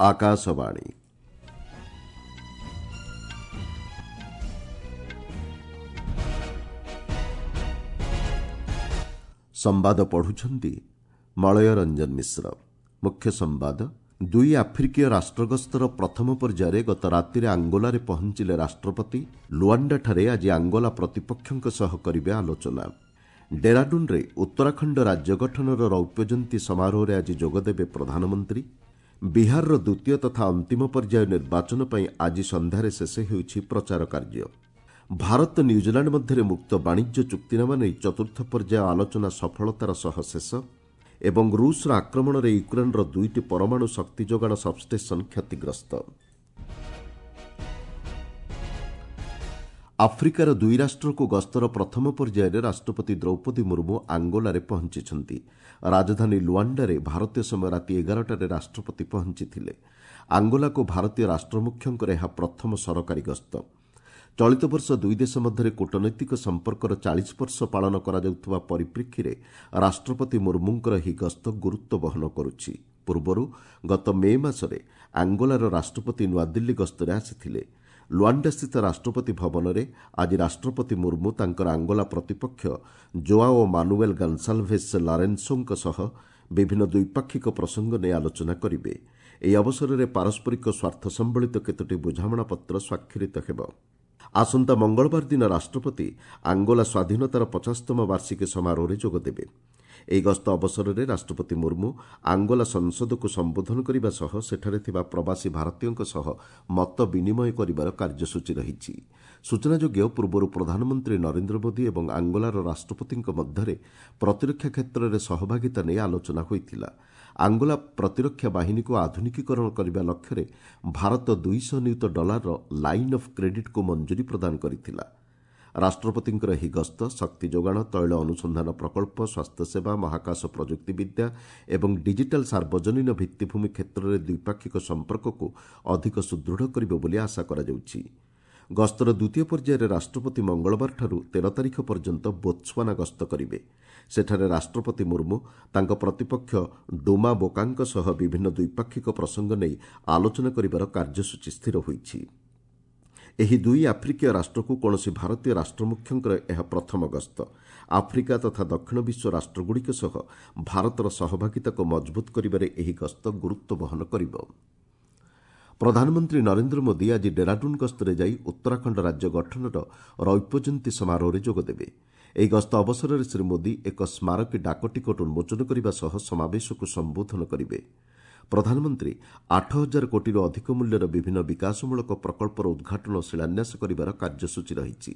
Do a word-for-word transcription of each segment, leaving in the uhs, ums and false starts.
ଆକାଶବାଣୀ ସମ୍ବାଦ ପଢୁଛନ୍ତି ମଳୟ ରଞ୍ଜନ ମିଶ୍ର। ମୁଖ୍ୟ ସମ୍ବାଦ। ଦୁଇ ଆଫ୍ରିକୀୟ ରାଷ୍ଟ୍ରଗସ୍ତର ପ୍ରଥମ ପର୍ଯ୍ୟାୟରେ ଗତ ରାତିରେ ଆଙ୍ଗୋଲାରେ ପହଞ୍ଚିଲେ ରାଷ୍ଟ୍ରପତି। ଲୁଆଣ୍ଡାଠାରେ ଆଜି ଆଙ୍ଗୋଲା ପ୍ରତିପକ୍ଷଙ୍କ ସହ କରିବେ ଆଲୋଚନା। ଡେରାଡୁନ୍ରେ ଉତ୍ତରାଖଣ୍ଡ ରାଜ୍ୟ ଗଠନର ରୌପ୍ୟ ଜୟନ୍ତୀ ସମାରୋହରେ ଆଜି ଯୋଗଦେବେ ପ୍ରଧାନମନ୍ତ୍ରୀ। ବିହାରର ଦ୍ୱିତୀୟ ତଥା ଅନ୍ତିମ ପର୍ଯ୍ୟାୟ ନିର୍ବାଚନ ପାଇଁ ଆଜି ସନ୍ଧ୍ୟାରେ ଶେଷ ହେଉଛି ପ୍ରଚାର କାର୍ଯ୍ୟ। ଭାରତ ନ୍ୟୁଜିଲାଣ୍ଡ ମଧ୍ୟରେ ମୁକ୍ତ ବାଣିଜ୍ୟ ଚୁକ୍ତିନାମା ନେଇ ଚତୁର୍ଥ ପର୍ଯ୍ୟାୟ ଆଲୋଚନା ସଫଳତାର ସହ ଶେଷ। ଏବଂ ରୁଷର ଆକ୍ରମଣରେ ୟୁକ୍ରେନ୍ର ଦୁଇଟି ପରମାଣୁ ଶକ୍ତି ଯୋଗାଣ ସବ୍ଷ୍ଟେସନ୍ କ୍ଷତିଗ୍ରସ୍ତ। ଆଫ୍ରିକାର ଦୁଇ ରାଷ୍ଟ୍ରକୁ ଗସ୍ତର ପ୍ରଥମ ପର୍ଯ୍ୟାୟରେ ରାଷ୍ଟ୍ରପତି ଦ୍ରୌପଦୀ ମୁର୍ମୁ ଆଙ୍ଗୋଲାରେ ପହଞ୍ଚିଛନ୍ତି। ରାଜଧାନୀ ଲୁଆଣ୍ଡାରେ ଭାରତୀୟ ସମୟ ରାତି ଏଗାରଟାରେ ରାଷ୍ଟ୍ରପତି ପହଞ୍ଚିଥିଲେ। ଆଙ୍ଗୋଲାକୁ ଭାରତୀୟ ରାଷ୍ଟ୍ରମୁଖ୍ୟଙ୍କର ଏହା ପ୍ରଥମ ସରକାରୀ ଗସ୍ତ। ଚଳିତ ବର୍ଷ ଦୁଇ ଦେଶ ମଧ୍ୟରେ କୂଟନୈତିକ ସମ୍ପର୍କର ଚାଳିଶ ବର୍ଷ ପାଳନ କରାଯାଉଥିବା ପରିପ୍ରେକ୍ଷୀରେ ରାଷ୍ଟ୍ରପତି ମୁର୍ମୁଙ୍କର ଏହି ଗସ୍ତ ଗୁରୁତ୍ୱ ବହନ କରୁଛି। ପୂର୍ବରୁ ଗତ ମେ ମାସରେ ଆଙ୍ଗୋଲାର ରାଷ୍ଟ୍ରପତି ନୂଆଦିଲ୍ଲୀ ଗସ୍ତରେ ଆସିଥିଲେ। ଲୁଆଣ୍ଡାସ୍ଥିତ ରାଷ୍ଟ୍ରପତି ଭବନରେ ଆଜି ରାଷ୍ଟ୍ରପତି ମୁର୍ମୁ ତାଙ୍କର ଆଙ୍ଗୋଲା ପ୍ରତିପକ୍ଷ ଜୋଆଓ ମାନୁଏଲ୍ ଗନ୍ସାଲ୍ଭେସ୍ ଲାରେନ୍ସୋଙ୍କ ସହ ବିଭିନ୍ନ ଦ୍ୱିପାକ୍ଷିକ ପ୍ରସଙ୍ଗ ନେଇ ଆଲୋଚନା କରିବେ। ଏହି ଅବସରରେ ପାରସ୍ପରିକ ସ୍ୱାର୍ଥ ସମ୍ବଳିତ କେତୋଟି ବୁଝାମଣାପତ୍ର ସ୍ୱାକ୍ଷରିତ ହେବ। ଆସନ୍ତା ମଙ୍ଗଳବାର ଦିନ ରାଷ୍ଟ୍ରପତି ଆଙ୍ଗୋଲା ସ୍ୱାଧୀନତାର ପଚାଶତମ ବାର୍ଷିକୀ ସମାରୋହରେ ଯୋଗଦେବେ। ଏହି ଗସ୍ତ ଅବସରରେ ରାଷ୍ଟ୍ରପତି ମୁର୍ମୁ ଆଙ୍ଗୋଲା ସଂସଦକୁ ସମ୍ବୋଧନ କରିବା ସହ ସେଠାରେ ଥିବା ପ୍ରବାସୀ ଭାରତୀୟଙ୍କ ସହ ମତ ବିନିମୟ କରିବାର କାର୍ଯ୍ୟସୂଚୀ ରହିଛି। ସୂଚନାଯୋଗ୍ୟ, ପୂର୍ବରୁ ପ୍ରଧାନମନ୍ତ୍ରୀ ନରେନ୍ଦ୍ର ମୋଦି ଏବଂ ଆଙ୍ଗୋଲାର ରାଷ୍ଟ୍ରପତିଙ୍କ ମଧ୍ୟରେ ପ୍ରତିରକ୍ଷା କ୍ଷେତ୍ରରେ ସହଭାଗିତା ନେଇ ଆଲୋଚନା ହୋଇଥିଲା। ଆଙ୍ଗୋଲା ପ୍ରତିରକ୍ଷା ବାହିନୀକୁ ଆଧୁନିକୀକରଣ କରିବା ଲକ୍ଷ୍ୟରେ ଭାରତ ଦୁଇଶହ ନିୟୁତ ଡଲାରର ଲାଇନ୍ ଅଫ୍ କ୍ରେଡିଟ୍କୁ ମଞ୍ଜୁରୀ ପ୍ରଦାନ କରିଥିଲା। ରାଷ୍ଟ୍ରପତିଙ୍କର ଏହି ଗସ୍ତ ଶକ୍ତି ଯୋଗାଣ, ତୈଳ ଅନୁସନ୍ଧାନ ପ୍ରକଳ୍ପ, ସ୍ୱାସ୍ଥ୍ୟସେବା, ମହାକାଶ ପ୍ରଯୁକ୍ତିବିଦ୍ୟା ଏବଂ ଡିଜିଟାଲ୍ ସାର୍ବଜନୀନ ଭିତ୍ତିଭୂମି କ୍ଷେତ୍ରରେ ଦ୍ୱିପାକ୍ଷିକ ସମ୍ପର୍କକୁ ଅଧିକ ସୁଦୃଢ଼ କରିବ ବୋଲି ଆଶା କରାଯାଉଛି। ଗସ୍ତର ଦ୍ୱିତୀୟ ପର୍ଯ୍ୟାୟରେ ରାଷ୍ଟ୍ରପତି ମଙ୍ଗଳବାରଠାରୁ ତେର ତାରିଖ ପର୍ଯ୍ୟନ୍ତ ବୋତ୍ସୱାନା ଗସ୍ତ କରିବେ। ସେଠାରେ ରାଷ୍ଟ୍ରପତି ମୁର୍ମୁ ତାଙ୍କ ପ୍ରତିପକ୍ଷ ଡୁମା ବୋକାଙ୍କ ସହ ବିଭିନ୍ନ ଦ୍ୱିପାକ୍ଷିକ ପ୍ରସଙ୍ଗ ନେଇ ଆଲୋଚନା କରିବାର କାର୍ଯ୍ୟସୂଚୀ ସ୍ଥିର ହୋଇଛି। ଏହି ଦୁଇ ଆଫ୍ରିକୀୟ ରାଷ୍ଟ୍ରକୁ କୌଣସି ଭାରତୀୟ ରାଷ୍ଟ୍ରମୁଖ୍ୟଙ୍କର ଏହା ପ୍ରଥମ ଗସ୍ତ। ଆଫ୍ରିକା ତଥା ଦକ୍ଷିଣ ବିଶ୍ୱ ରାଷ୍ଟ୍ରଗୁଡ଼ିକ ସହ ଭାରତର ସହଭାଗିତାକୁ ମଜବୁତ କରିବାରେ ଏହି ଗସ୍ତ ଗୁରୁତ୍ୱ ବହନ କରିବ। ପ୍ରଧାନମନ୍ତ୍ରୀ ନରେନ୍ଦ୍ର ମୋଦି ଆଜି ଡେରାଡୁନ୍ ଗସ୍ତରେ ଯାଇ ଉତ୍ତରାଖଣ୍ଡ ରାଜ୍ୟ ଗଠନର ରୌପ୍ୟ ଜୟନ୍ତୀ ସମାରୋହରେ ଯୋଗଦେବେ। ଏହି ଗସ୍ତ ଅବସରରେ ଶ୍ରୀ ମୋଦି ଏକ ସ୍ମାରକୀ ଡାକଟିକଟ ଉନ୍ମୋଚନ କରିବା ସହ ସମାବେଶକୁ ସମ୍ବୋଧନ କରିବେ। ପ୍ରଧାନମନ୍ତ୍ରୀ ଆଠ ହଜାର କୋଟିରୁ ଅଧିକ ମୂଲ୍ୟର ବିଭିନ୍ନ ବିକାଶମୂଳକ ପ୍ରକଳ୍ପର ଉଦ୍ଘାଟନ ଓ ଶିଳାନ୍ୟାସ କରିବାର କାର୍ଯ୍ୟସୂଚୀ ରହିଛି।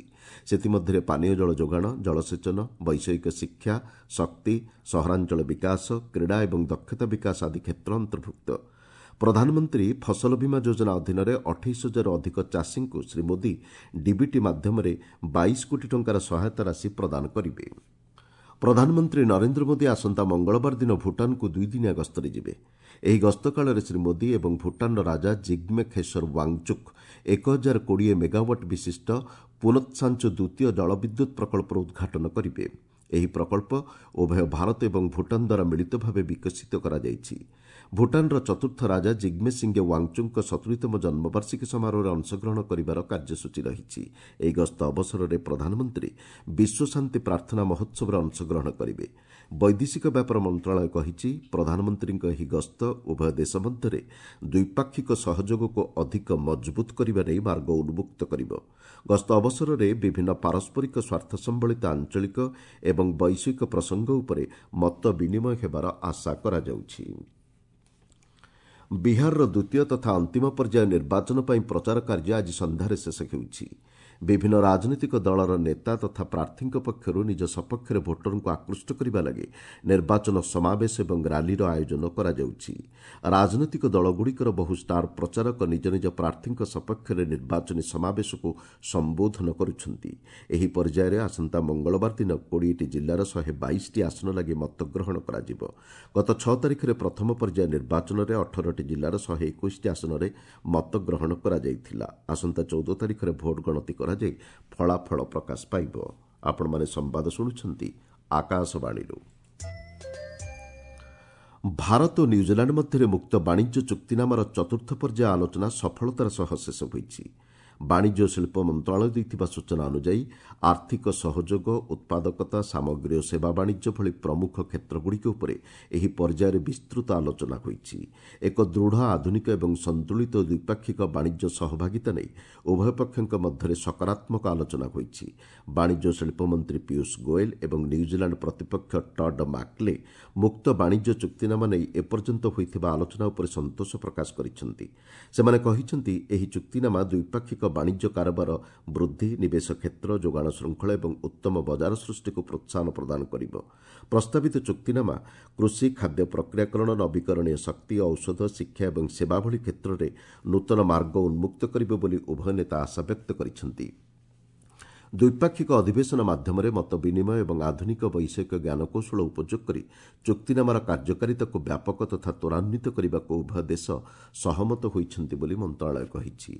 ସେଥିମଧ୍ୟରେ ପାନୀୟ ଜଳ ଯୋଗାଣ, ଜଳସେଚନ, ବୈଷୟିକ ଶିକ୍ଷା, ଶକ୍ତି, ସହରାଞ୍ଚଳ ବିକାଶ, କ୍ରୀଡ଼ା ଏବଂ ଦକ୍ଷତା ବିକାଶ ଆଦି କ୍ଷେତ୍ର ଅନ୍ତର୍ଭୁକ୍ତ। ପ୍ରଧାନମନ୍ତ୍ରୀ ଫସଲ ବୀମା ଯୋଜନା ଅଧୀନରେ ଅଠେଇଶ ହଜାରରୁ ଅଧିକ ଚାଷୀଙ୍କୁ ଶ୍ରୀ ମୋଦି ଡିବିଟି ମାଧ୍ୟମରେ ବାଇଶ କୋଟି ଟଙ୍କାର ସହାୟତା ରାଶି ପ୍ରଦାନ କରିବେ। ପ୍ରଧାନମନ୍ତ୍ରୀ ନରେନ୍ଦ୍ର ମୋଦି ଆସନ୍ତା ମଙ୍ଗଳବାର ଦିନ ଭୁଟାନକୁ ଦୁଇଦିନିଆ ଗସ୍ତରେ ଯିବେ। ଏହି ଗସ୍ତ କାଳରେ ଶ୍ରୀ ମୋଦି ଏବଂ ଭୁଟାନର ରାଜା ଜିଗ୍ମେ ଖେସର ୱାଙ୍ଗଚୁକ୍ ଏକ ହଜାର କୋଡ଼ିଏ ମେଗାୱାଟ୍ ବିଶିଷ୍ଟ ପୁନତ୍ସାଞ୍ଚୁ ଦ୍ୱିତୀୟ ଜଳବିଦ୍ୟୁତ୍ ପ୍ରକଳ୍ପର ଉଦ୍ଘାଟନ କରିବେ। ଏହି ପ୍ରକଳ୍ପ ଉଭୟ ଭାରତ ଏବଂ ଭୁଟାନ ଦ୍ୱାରା ମିଳିତ ଭାବେ ବିକଶିତ କରାଯାଇଛି। ଭୁଟାନର ଚତୁର୍ଥ ରାଜା ଜିଗ୍ମେ ସିଙ୍ଗେ ୱାଙ୍ଗଚୁକ୍ଙ୍କ ସତୁରିତମ ଜନ୍ମବାର୍ଷିକୀ ସମାରୋହରେ ଅଂଶଗ୍ରହଣ କରିବାର କାର୍ଯ୍ୟସୂଚୀ ରହିଛି। ଏହି ଗସ୍ତ ଅବସରରେ ପ୍ରଧାନମନ୍ତ୍ରୀ ବିଶ୍ୱ ଶାନ୍ତି ପ୍ରାର୍ଥନା ମହୋତ୍ସବରେ ଅଂଶଗ୍ରହଣ କରିବେ। ବୈଦେଶିକ ବ୍ୟାପାର ମନ୍ତ୍ରଣାଳୟ କହିଛି, ପ୍ରଧାନମନ୍ତ୍ରୀଙ୍କ ଏହି ଗସ୍ତ ଉଭୟ ଦେଶ ମଧ୍ୟରେ ଦ୍ୱିପାକ୍ଷିକ ସହଯୋଗକୁ ଅଧିକ ମଜବୁତ କରିବା ନେଇ ମାର୍ଗ ଉନ୍ମୁକ୍ତ କରିବ। ଗସ୍ତ ଅବସରରେ ବିଭିନ୍ନ ପାରସ୍ପରିକ ସ୍ୱାର୍ଥ ସମ୍ବଳିତ ଆଞ୍ଚଳିକ ଏବଂ ବୈଶ୍ୱିକ ପ୍ରସଙ୍ଗ ଉପରେ ମତ ବିନିମୟ ହେବାର ଆଶା କରାଯାଉଛି। ବିହାରର ଦ୍ୱିତୀୟ ତଥା ଅନ୍ତିମ ପର୍ଯ୍ୟାୟ ନିର୍ବାଚନ ପାଇଁ ପ୍ରଚାର କାର୍ଯ୍ୟ ଆଜି ସନ୍ଧ୍ୟାରେ ଶେଷ ହେଉଛି। ବିଭିନ୍ନ ରାଜନୈତିକ ଦଳର ନେତା ତଥା ପ୍ରାର୍ଥୀଙ୍କ ପକ୍ଷରୁ ନିଜ ସପକ୍ଷରେ ଭୋଟରଙ୍କୁ ଆକୃଷ୍ଟ କରିବା ଲାଗି ନିର୍ବାଚନ ସମାବେଶ ଏବଂ ର୍ୟାଲିର ଆୟୋଜନ କରାଯାଉଛି। ରାଜନୈତିକ ଦଳଗୁଡ଼ିକର ବହୁ ଷ୍ଟାର ପ୍ରଚାରକ ନିଜ ନିଜ ପ୍ରାର୍ଥୀଙ୍କ ସପକ୍ଷରେ ନିର୍ବାଚନୀ ସମାବେଶକୁ ସମ୍ବୋଧନ କରୁଛନ୍ତି। ଏହି ପର୍ଯ୍ୟାୟରେ ଆସନ୍ତା ମଙ୍ଗଳବାର ଦିନ କୋଡ଼ିଏଟି ଜିଲ୍ଲାର ଶହେ ବାଇଶଟି ଆସନ ଲାଗି ମତଗ୍ରହଣ କରାଯିବ। ଗତ ଛଅ ତାରିଖରେ ପ୍ରଥମ ପର୍ଯ୍ୟାୟ ନିର୍ବାଚନରେ ଅଠରଟି ଜିଲ୍ଲାର ଶହେ ଏକୋଇଶଟି ଆସନରେ ମତଗ୍ରହଣ କରାଯାଇଥିଲା। ଆସନ୍ତା ଚଉଦ ତାରିଖରେ ଭୋଟ ଗଣତି କରାଯାଇ ଫଳାଫଳ ପ୍ରକାଶ ପାଇବ। ଆପଣମାନେ ସମ୍ବାଦ ଶୁଣୁଛନ୍ତି ଆକାଶବାଣୀରୁ। ଭାରତ ଓ ନ୍ୟୁଜିଲାଣ୍ଡ ମଧ୍ୟରେ ମୁକ୍ତ ବାଣିଜ୍ୟ ଚୁକ୍ତିନାମାର ଚତୁର୍ଥ ପର୍ଯ୍ୟାୟ ଆଲୋଚନା ସଫଳତାର ସହ ଶେଷ ହୋଇଛି। ବାଣିଜ୍ୟ ଓ ଶିଳ୍ପ ମନ୍ତ୍ରଣାଳୟ ଦେଇଥିବା ସୂଚନା ଅନୁଯାୟୀ ଆର୍ଥିକ ସହଯୋଗ, ଉତ୍ପାଦକତା, ସାମଗ୍ରୀ ଓ ସେବା ବାଣିଜ୍ୟ ଭଳି ପ୍ରମୁଖ କ୍ଷେତ୍ରଗୁଡ଼ିକ ଉପରେ ଏହି ପର୍ଯ୍ୟାୟରେ ବିସ୍ତୃତ ଆଲୋଚନା ହୋଇଛି। ଏକ ଦୃଢ଼, ଆଧୁନିକ ଏବଂ ସନ୍ତୁଳିତ ଦ୍ୱିପାକ୍ଷିକ ବାଣିଜ୍ୟ ସହଭାଗିତା ନେଇ ଉଭୟ ପକ୍ଷଙ୍କ ମଧ୍ୟରେ ସକାରାତ୍ମକ ଆଲୋଚନା ହୋଇଛି। ବାଣିଜ୍ୟ ଓ ଶିଳ୍ପ ମନ୍ତ୍ରୀ ପୀୟୁଷ ଗୋଏଲ ଏବଂ ନ୍ୟୁଜିଲାଣ୍ଡ ପ୍ରତିପକ୍ଷ ଟଡ୍ ମାକ୍ଲେ ମୁକ୍ତ ବାଣିଜ୍ୟ ଚୁକ୍ତିନାମା ନେଇ ଏପର୍ଯ୍ୟନ୍ତ ହୋଇଥିବା ଆଲୋଚନା ଉପରେ ସନ୍ତୋଷ ପ୍ରକାଶ କରିଛନ୍ତି। ସେମାନେ କହିଛନ୍ତି, ଏହି ଚୁକ୍ତିନାମା ଦ୍ୱିପାକ୍ଷିକ ବାଣିଜ୍ୟ କାରବାର ବୃଦ୍ଧି, ନିବେଶ କ୍ଷେତ୍ର, ଯୋଗାଣ ଶୃଙ୍ଖଳ ଏବଂ ଉତ୍ତମ ବଜାର ସୃଷ୍ଟିକୁ ପ୍ରୋତ୍ସାହନ ପ୍ରଦାନ କରିବ। ପ୍ରସ୍ତାବିତ ଚୁକ୍ତିନାମା କୃଷି, ଖାଦ୍ୟ ପ୍ରକ୍ରିୟାକରଣ, ନବୀକରଣୀୟ ଶକ୍ତି, ଔଷଧ, ଶିକ୍ଷା ଏବଂ ସେବା ଭଳି କ୍ଷେତ୍ରରେ ନୂତନ ମାର୍ଗ ଉନ୍ମୁକ୍ତ କରିବ ବୋଲି ଉଭୟ ନେତା ଆଶାବ୍ୟକ୍ତ କରିଛନ୍ତି। ଦ୍ୱିପାକ୍ଷିକ ଅଧିବେଶନ ମାଧ୍ୟମରେ ମତ ବିନିମୟ ଏବଂ ଆଧୁନିକ ବୈଷୟିକ ଜ୍ଞାନକୌଶଳ ଉପଯୋଗ କରି ଚୁକ୍ତିନାମାର କାର୍ଯ୍ୟକାରିତାକୁ ବ୍ୟାପକ ତଥା ତ୍ୱରାନ୍ୱିତ କରିବାକୁ ଉଭୟ ଦେଶ ସହମତ ହୋଇଛନ୍ତି ବୋଲି ମନ୍ତ୍ରଣାଳୟ କହିଛି।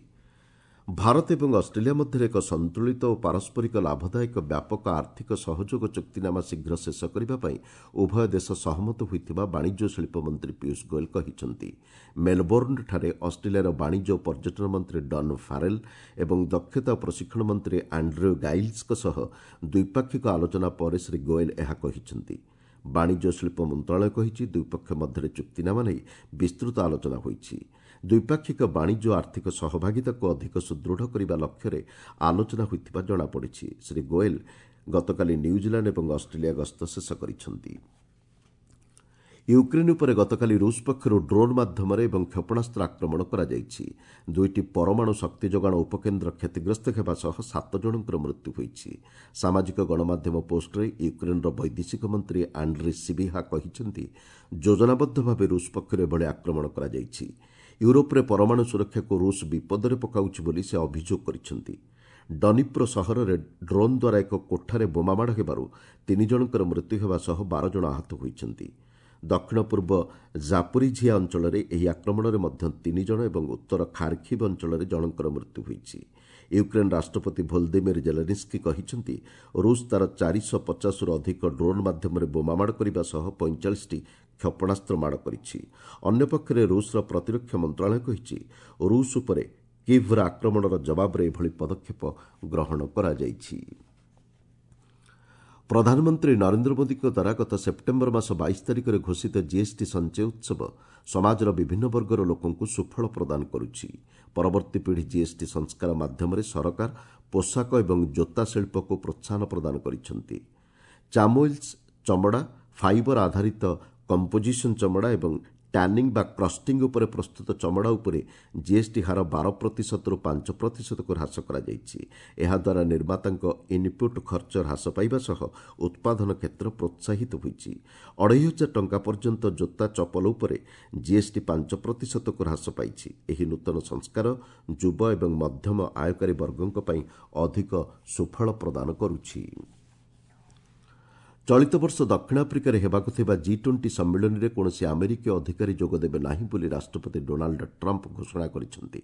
ଭାରତ ଏବଂ ଅଷ୍ଟ୍ରେଲିଆ ମଧ୍ୟରେ ଏକ ସନ୍ତୁଳିତ ଓ ପାରସ୍ପରିକ ଲାଭଦାୟକ ବ୍ୟାପକ ଆର୍ଥିକ ସହଯୋଗ ଚୁକ୍ତିନାମା ଶୀଘ୍ର ଶେଷ କରିବା ପାଇଁ ଉଭୟ ଦେଶ ସହମତ ହୋଇଥିବା ବାଣିଜ୍ୟ ଓ ଶିଳ୍ପ ମନ୍ତ୍ରୀ ପୀୟୁଷ ଗୋଏଲ କହିଛନ୍ତି। ମେଲବୋର୍ଣ୍ଣଠାରେ ଅଷ୍ଟ୍ରେଲିଆର ବାଣିଜ୍ୟ ଓ ପର୍ଯ୍ୟଟନ ମନ୍ତ୍ରୀ ଡନ୍ ଫାରେଲ୍ ଏବଂ ଦକ୍ଷତା ଓ ପ୍ରଶିକ୍ଷଣ ମନ୍ତ୍ରୀ ଆଣ୍ଡ୍ର୍ୟୁ ଗାଇଲ୍ସଙ୍କ ସହ ଦ୍ୱିପାକ୍ଷିକ ଆଲୋଚନା ପରେ ଶ୍ରୀ ଗୋଏଲ ଏହା କହିଛନ୍ତି। ବାଣିଜ୍ୟ ଓ ଶିଳ୍ପ ମନ୍ତ୍ରଣାଳୟ କହିଛି, ଦୁଇପକ୍ଷ ମଧ୍ୟରେ ଚୁକ୍ତିନାମା ନେଇ ବିସ୍ତୃତ ଆଲୋଚନା ହୋଇଛି। ଦ୍ୱିପାକ୍ଷିକ ବାଣିଜ୍ୟ ଓ ଆର୍ଥିକ ସହଭାଗିତାକୁ ଅଧିକ ସୁଦୃଢ଼ କରିବା ଲକ୍ଷ୍ୟରେ ଆଲୋଚନା ହୋଇଥିବା ଜଣାପଡ଼ିଛି। ଶ୍ରୀ ଗୋଏଲ ଗତକାଲି ନ୍ୟୁଜିଲାଣ୍ଡ ଏବଂ ଅଷ୍ଟ୍ରେଲିଆ ଗସ୍ତ ଶେଷ କରିଛନ୍ତି। ୟୁକ୍ରେନ୍ ଉପରେ ଗତକାଲି ରୁଷ ପକ୍ଷରୁ ଡ୍ରୋନ୍ ମାଧ୍ୟମରେ ଏବଂ କ୍ଷେପଣାସ୍ତ୍ର ଆକ୍ରମଣ କରାଯାଇଛି। ଦୁଇଟି ପରମାଣୁ ଶକ୍ତି ଯୋଗାଣ ଉପକେନ୍ଦ୍ର କ୍ଷତିଗ୍ରସ୍ତ ହେବା ସହ ସାତ ଜଣଙ୍କର ମୃତ୍ୟୁ ହୋଇଛି। ସାମାଜିକ ଗଣମାଧ୍ୟମ ପୋଷ୍ଟରେ ୟୁକ୍ରେନ୍ର ବୈଦେଶିକ ମନ୍ତ୍ରୀ ଆଣ୍ଡ୍ରି ସିବିହା କହିଛନ୍ତି, ଯୋଜନାବଦ୍ଧ ଭାବେ ରୁଷ ପକ୍ଷରୁ ଏଭଳି ଆକ୍ରମଣ କରାଯାଇଛି। ୟୁରୋପରେ ପରମାଣୁ ସୁରକ୍ଷାକୁ ରୁଷ ବିପଦରେ ପକାଉଛି ବୋଲି ସେ ଅଭିଯୋଗ କରିଛନ୍ତି। ଡନିପ୍ରୋ ସହରରେ ଡ୍ରୋନ୍ ଦ୍ୱାରା ଏକ କୋଠାରେ ବୋମାମାଡ଼ ହେବାରୁ ତିନି ଜଣଙ୍କର ମୃତ୍ୟୁ ହେବା ସହ ବାର ଜଣ ଆହତ ହୋଇଛନ୍ତି। ଦକ୍ଷିଣ ପୂର୍ବ ଜାପୋରିଝିଆ ଅଞ୍ଚଳରେ ଏହି ଆକ୍ରମଣରେ ମଧ୍ୟ ତିନି ଜଣ ଏବଂ ଉତ୍ତର ଖାର୍ଖିବ୍ ଅଞ୍ଚଳରେ ଜଣଙ୍କର ମୃତ୍ୟୁ ହୋଇଛି। ୟୁକ୍ରେନ୍ ରାଷ୍ଟ୍ରପତି ଭୋଲଦିମିର ଜେଲେନ୍ସ୍କି କହିଛନ୍ତି, ରୁଷ ତା'ର ଚାରିଶହ ପଚାଶରୁ ଅଧିକ ଡ୍ରୋନ୍ ମାଧ୍ୟମରେ ବୋମାମାଡ଼ କରିବା ସହ ପଇଁଚାଳିଶଟି କ୍ଷେପଣାସ୍ତ୍ର ମାଡ଼ କରିଛି। ଅନ୍ୟପକ୍ଷରେ ରୁଷର ପ୍ରତିରକ୍ଷା ମନ୍ତ୍ରଣାଳୟ କହିଛି, ରୁଷ ଉପରେ କିଭ୍ର ଆକ୍ରମଣର ଜବାବରେ ଏଭଳି ପଦକ୍ଷେପ ଗ୍ରହଣ କରାଯାଇଛି। ପ୍ରଧାନମନ୍ତ୍ରୀ ନରେନ୍ଦ୍ର ମୋଦିଙ୍କ ଦ୍ୱାରା ଗତ ସେପ୍ଟେମ୍ବର ମାସ ବାଇଶ ତାରିଖରେ ଘୋଷିତ ଜିଏସ୍ଟି ସଞ୍ଚୟ ଉତ୍ସବ ସମାଜର ବିଭିନ୍ନ ବର୍ଗର ଲୋକଙ୍କୁ ସୁଫଳ ପ୍ରଦାନ କରୁଛି। ପରବର୍ତ୍ତୀ ପିଢ଼ି ଜିଏସ୍ଟି ସଂସ୍କାର ମାଧ୍ୟମରେ ସରକାର ପୋଷାକ ଏବଂ ଜୋତା ଶିଳ୍ପକୁ ପ୍ରୋତ୍ସାହନ ପ୍ରଦାନ କରିଛନ୍ତି। ଚାମୋଇଲ୍ସ ଚମଡ଼ା, ଫାଇବର ଆଧାରିତ କମ୍ପୋଜିସନ୍ ଚମଡ଼ା ଏବଂ ଟ୍ୟାନିଂ ବା କ୍ରଷ୍ଟିଂ ଉପରେ ପ୍ରସ୍ତୁତ ଚମଡ଼ା ଉପରେ ଜିଏସ୍ଟି ହାର ବାର ପ୍ରତିଶତରୁ ପାଞ୍ଚ ପ୍ରତିଶତକୁ ହ୍ରାସ କରାଯାଇଛି। ଏହାଦ୍ୱାରା ନିର୍ମାତାଙ୍କ ଇନ୍ପୁଟ୍ ଖର୍ଚ୍ଚ ହ୍ରାସ ପାଇବା ସହ ଉତ୍ପାଦନ କ୍ଷେତ୍ର ପ୍ରୋତ୍ସାହିତ ହୋଇଛି। ଅଢ଼େଇ ହଜାର ଟଙ୍କା ପର୍ଯ୍ୟନ୍ତ ଜୋତା ଚପଲ ଉପରେ ଜିଏସ୍ଟି ପାଞ୍ଚ ପ୍ରତିଶତକୁ ହ୍ରାସ ପାଇଛି। ଏହି ନୂତନ ସଂସ୍କାର ଯୁବ ଏବଂ ମଧ୍ୟମ ଆୟକାରୀ ବର୍ଗଙ୍କ ପାଇଁ ଅଧିକ ସୁଫଳ ପ୍ରଦାନ କରୁଛି। ଚଳିତ ବର୍ଷ ଦକ୍ଷିଣ ଆଫ୍ରିକାରେ ହେବାକୁ ଥିବା ଜି ଟ୍ୱେଣ୍ଟି ସମ୍ମିଳନୀରେ କୌଣସି ଆମେରିକୀୟ ଅଧିକାରୀ ଯୋଗଦେବେ ନାହିଁ ବୋଲି ରାଷ୍ଟ୍ରପତି ଡୋନାଲ୍ଡ ଟ୍ରମ୍ପ ଘୋଷଣା କରିଛନ୍ତି।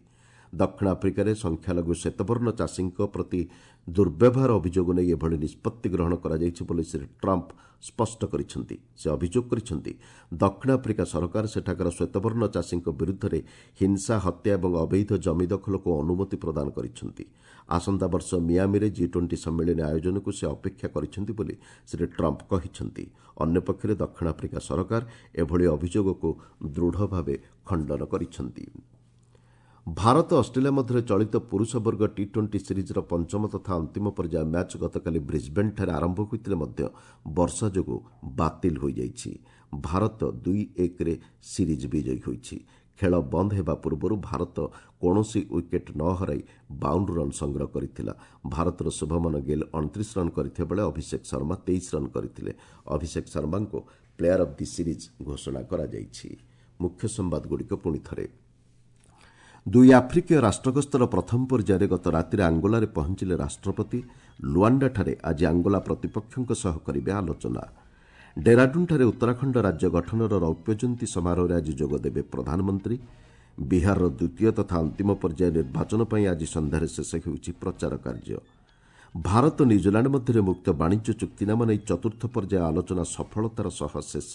ଦକ୍ଷିଣ ଆଫ୍ରିକାରେ ସଂଖ୍ୟାଲଘୁ ଶ୍ଵେତବର୍ଣ୍ଣ ଚାଷୀଙ୍କ ପ୍ରତି ଦୁର୍ବ୍ୟବହାର ଅଭିଯୋଗ ନେଇ ଏଭଳି ନିଷ୍ପତ୍ତି ଗ୍ରହଣ କରାଯାଇଛି ବୋଲି ଶ୍ରୀ ଟ୍ରମ୍ପ ସ୍ପଷ୍ଟ କରିଛନ୍ତି। ସେ ଅଭିଯୋଗ କରିଛନ୍ତି, ଦକ୍ଷିଣ ଆଫ୍ରିକା ସରକାର ସେଠାକାର ଶ୍ଵେତବର୍ଣ୍ଣ ଚାଷୀଙ୍କ ବିରୁଦ୍ଧରେ ହିଂସା, ହତ୍ୟା ଏବଂ ଅବୈଧ ଜମି ଦଖଲକୁ ଅନୁମତି ପ୍ରଦାନ କରିଛନ୍ତି। ଆସନ୍ତା ବର୍ଷ ମିଆମିରେ ଜି ଟ୍ୱେଣ୍ଟି ସମ୍ମିଳନୀ ଆୟୋଜନକୁ ସେ ଅପେକ୍ଷା କରିଛନ୍ତି ବୋଲି ଶ୍ରୀ ଟ୍ରମ୍ପ କହିଛନ୍ତି। ଅନ୍ୟପକ୍ଷରେ ଦକ୍ଷିଣ ଆଫ୍ରିକା ସରକାର ଏଭଳି ଅଭିଯୋଗକୁ ଦୃଢ଼ ଭାବେ ଖଣ୍ଡନ କରିଛନ୍ତି। ଭାରତ ଅଷ୍ଟ୍ରେଲିଆ ମଧ୍ୟରେ ଚଳିତ ପୁରୁଷ ବର୍ଗ ଟି ଟ୍ୱେଣ୍ଟି ସିରିଜ୍ର ପଞ୍ଚମ ତଥା ଅନ୍ତିମ ପର୍ଯ୍ୟାୟ ମ୍ୟାଚ୍ ଗତକାଲି ବ୍ରିସ୍ବେନ୍ଠାରେ ଆରମ୍ଭ ହୋଇଥିଲେ ମଧ୍ୟ ବର୍ଷା ଯୋଗୁଁ ବାତିଲ ହୋଇଯାଇଛି। ଭାରତ ଦୁଇ ଏକରେ ସିରିଜ୍ ବିଜୟୀ ହୋଇଛି। ଖେଳ ବନ୍ଦ ହେବା ପୂର୍ବରୁ ଭାରତ କୌଣସି ୱିକେଟ୍ ନ ହରାଇ ବାଉନ ରନ୍ ସଂଗ୍ରହ କରିଥିଲା। ଭାରତର ଶୁଭମନ ଗିଲ୍ ଅଣତିରିଶ ରନ୍ କରିଥିବା ବେଳେ ଅଭିଷେକ ଶର୍ମା ତେଇଶ ରନ୍ କରିଥିଲେ। ଅଭିଷେକ ଶର୍ମାଙ୍କୁ ପ୍ଲେୟାର ଅଫ୍ the series ଘୋଷଣା କରାଯାଇଛି। ମୁଖ୍ୟ ସମ୍ବାଦଗୁଡ଼ିକ ପୁଣି ଥରେ। ଦୁଇ ଆଫ୍ରିକୀୟ ରାଷ୍ଟ୍ରଗସ୍ତର ପ୍ରଥମ ପର୍ଯ୍ୟାୟରେ ଗତ ରାତିରେ ଆଙ୍ଗୋଲାରେ ପହଞ୍ଚିଲେ ରାଷ୍ଟ୍ରପତି। ଲୁଆଣ୍ଡାଠାରେ ଆଜି ଆଙ୍ଗୋଲା ପ୍ରତିପକ୍ଷଙ୍କ ସହ କରିବେ ଆଲୋଚନା। ଡେରାଡୁନ୍ଠାରେ ଉତ୍ତରାଖଣ୍ଡ ରାଜ୍ୟ ଗଠନର ରୌପ୍ୟ ଜୟନ୍ତୀ ସମାରୋହରେ ଆଜି ଯୋଗଦେବେ ପ୍ରଧାନମନ୍ତ୍ରୀ। ବିହାରର ଦ୍ୱିତୀୟ ତଥା ଅନ୍ତିମ ପର୍ଯ୍ୟାୟ ନିର୍ବାଚନ ପାଇଁ ଆଜି ସନ୍ଧ୍ୟାରେ ଶେଷ ହେଉଛି ପ୍ରଚାର କାର୍ଯ୍ୟ। ଭାରତ ନ୍ୟୁଜିଲାଣ୍ଡ ମଧ୍ୟରେ ମୁକ୍ତ ବାଣିଜ୍ୟ ଚୁକ୍ତିନାମା ନେଇ ଚତୁର୍ଥ ପର୍ଯ୍ୟାୟ ଆଲୋଚନା ସଫଳତାର ସହ ଶେଷ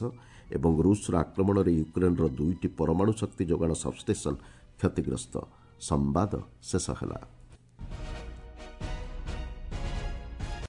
ଏବଂ ରୁଷର ଆକ୍ରମଣରେ ୟୁକ୍ରେନ୍ର ଦୁଇଟି ପରମାଣୁ ଶକ୍ତି ଯୋଗାଣ ସବ୍ଷ୍ଟେସନ୍ କ୍ଷତିଗ୍ରସ୍ତ। ସମ୍ବାଦ ଶେଷ ହେଲା।